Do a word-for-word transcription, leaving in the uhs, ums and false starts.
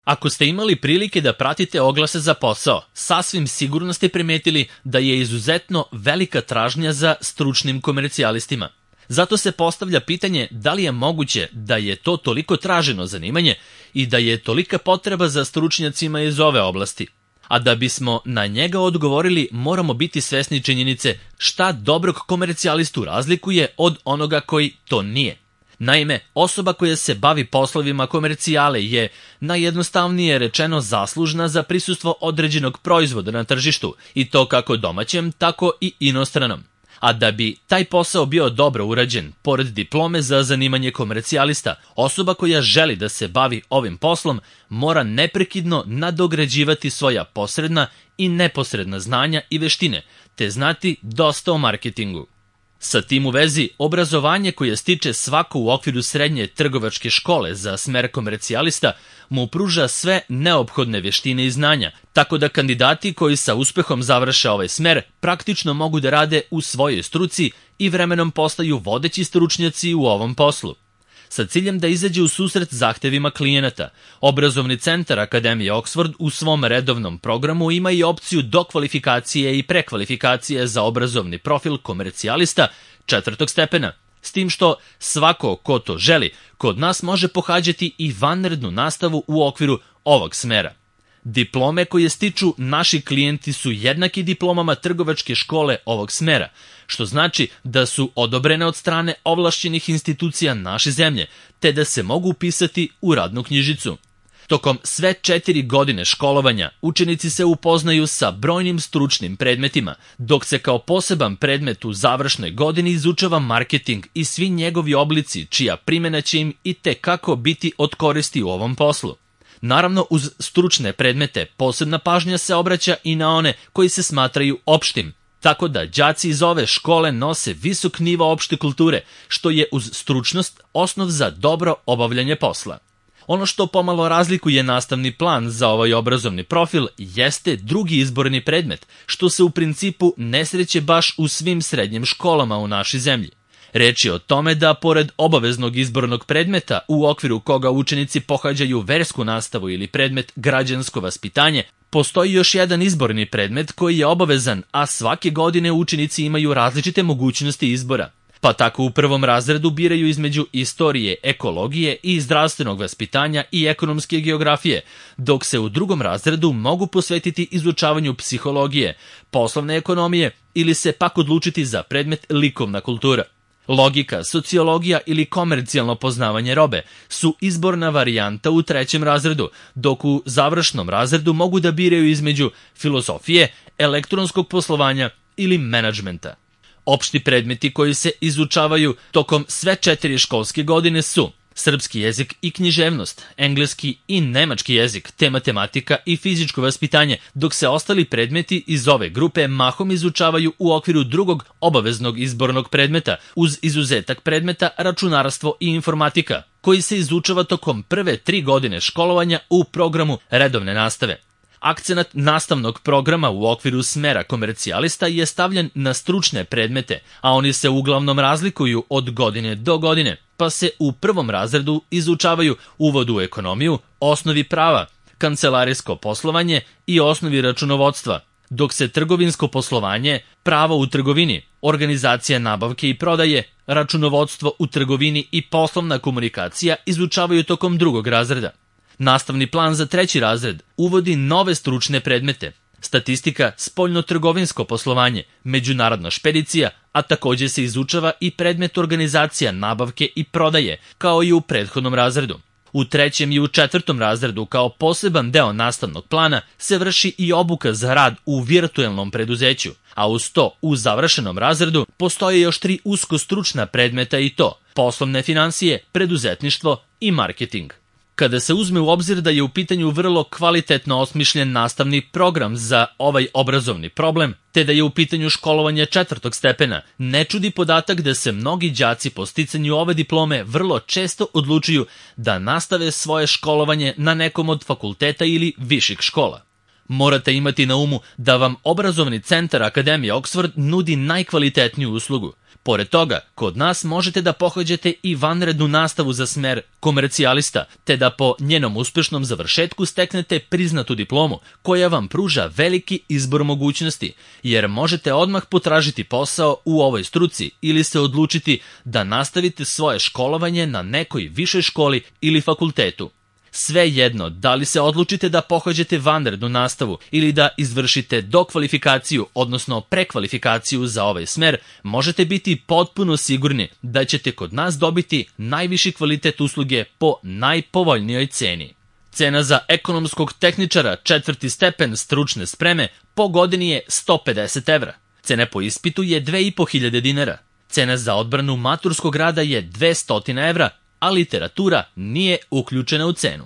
Ako ste imali prilike da pratite oglase za posao, sasvim sigurno ste primetili da je izuzetno velika tražnja za stručnim komercijalistima. Zato se postavlja pitanje da li je moguće da je to toliko traženo zanimanje i da je tolika potreba za stručnjacima iz ove oblasti. A da bismo na njega odgovorili, moramo biti svesni činjenice šta dobrog komercijalistu razlikuje od onoga koji to nije. Naime, osoba koja se bavi poslovima komercijale je, najjednostavnije rečeno, zaslužna za prisustvo određenog proizvoda na tržištu, i to kako domaćem, tako i inostranom. A da bi taj posao bio dobro urađen, pored diplome za zanimanje komercijalista, osoba koja želi da se bavi ovim poslom mora neprekidno nadograđivati svoja posredna i neposredna znanja i veštine, te znati dosta o marketingu. Sa tim u vezi, obrazovanje koje stiče svako u okviru srednje trgovačke škole za smer komercijalista mu pruža sve neophodne veštine i znanja, tako da kandidati koji sa uspehom završe ovaj smer praktično mogu da rade u svojoj struci i vremenom postaju vodeći stručnjaci u ovom poslu. Sa ciljem da izađe u susret zahtevima klijenata, Obrazovni centar Akademije Oxford u svom redovnom programu ima i opciju dokvalifikacije i prekvalifikacije za obrazovni profil komercijalista četvrtog stepena, s tim što svako ko to želi kod nas može pohađati i vanrednu nastavu u okviru ovog smera. Diplome koje stiču naši klijenti su jednaki diplomama trgovačke škole ovog smera, što znači da su odobrene od strane ovlašćenih institucija naše zemlje, te da se mogu upisati u radnu knjižicu. Tokom sve četiri godine školovanja učenici se upoznaju sa brojnim stručnim predmetima, dok se kao poseban predmet u završnoj godini izučava marketing i svi njegovi oblici čija primjena će im i tekako biti od koristi u ovom poslu. Naravno, uz stručne predmete posebna pažnja se obraća i na one koji se smatraju opštim, tako da đaci iz ove škole nose visok nivo opšte kulture, što je uz stručnost osnov za dobro obavljanje posla. Ono što pomalo razlikuje nastavni plan za ovaj obrazovni profil jeste drugi izborni predmet, što se u principu ne sreće baš u svim srednjim školama u našoj zemlji. Reč je o tome da, pored obaveznog izbornog predmeta u okviru koga učenici pohađaju versku nastavu ili predmet građansko vaspitanje, postoji još jedan izborni predmet koji je obavezan, a svake godine učenici imaju različite mogućnosti izbora. Pa tako u prvom razredu biraju između istorije, ekologije i zdravstvenog vaspitanja i ekonomske geografije, dok se u drugom razredu mogu posvetiti izučavanju psihologije, poslovne ekonomije ili se pak odlučiti za predmet likovna kultura. Logika, sociologija ili komercijalno poznavanje robe su izborna varijanta u trećem razredu, dok u završnom razredu mogu da biraju između filozofije, elektronskog poslovanja ili menadžmenta. Opšti predmeti koji se izučavaju tokom sve četiri školske godine su srpski jezik i književnost, engleski i nemački jezik, te matematika i fizičko vaspitanje, dok se ostali predmeti iz ove grupe mahom izučavaju u okviru drugog obaveznog izbornog predmeta, uz izuzetak predmeta računarstvo i informatika, koji se izučava tokom prve tri godine školovanja u programu redovne nastave. Akcenat nastavnog programa u okviru smera komercijalista je stavljen na stručne predmete, a oni se uglavnom razlikuju od godine do godine, pa se u prvom razredu izučavaju uvod u ekonomiju, osnovi prava, kancelarijsko poslovanje i osnovi računovodstva, dok se trgovinsko poslovanje, pravo u trgovini, organizacija nabavke i prodaje, računovodstvo u trgovini i poslovna komunikacija izučavaju tokom drugog razreda. Nastavni plan za treći razred uvodi nove stručne predmete, statistika, spoljno-trgovinsko poslovanje, međunarodna špedicija, a također se izučava i predmet organizacija nabavke i prodaje, kao i u prethodnom razredu. U trećem i u četvrtom razredu kao poseban deo nastavnog plana se vrši i obuka za rad u virtuelnom preduzeću, a uz to u završenom razredu postoje još tri usko stručna predmeta i to poslovne finansije, preduzetništvo i marketing. Kada se uzme u obzir da je u pitanju vrlo kvalitetno osmišljen nastavni program za ovaj obrazovni problem, te da je u pitanju školovanje četvrtog stepena, ne čudi podatak da se mnogi đaci po sticanju ove diplome vrlo često odlučuju da nastave svoje školovanje na nekom od fakulteta ili viših škola. Morate imati na umu da vam Obrazovni centar Akademije Oxford nudi najkvalitetniju uslugu. Pored toga, kod nas možete da pohađate i vanrednu nastavu za smer komercijalista, te da po njenom uspešnom završetku steknete priznatu diplomu, koja vam pruža veliki izbor mogućnosti, jer možete odmah potražiti posao u ovoj struci ili se odlučiti da nastavite svoje školovanje na nekoj višoj školi ili fakultetu. Svejedno, da li se odlučite da pohađate vanrednu nastavu ili da izvršite dokvalifikaciju, odnosno prekvalifikaciju za ovaj smer, možete biti potpuno sigurni da ćete kod nas dobiti najviši kvalitet usluge po najpovoljnijoj ceni. Cena za ekonomskog tehničara četvrti stepen stručne spreme po godini je sto pedeset evra. Cena po ispitu je dve i po hiljade dinara. Cena za odbranu maturskog rada je dvesta evra, a literatura nije uključena u cenu.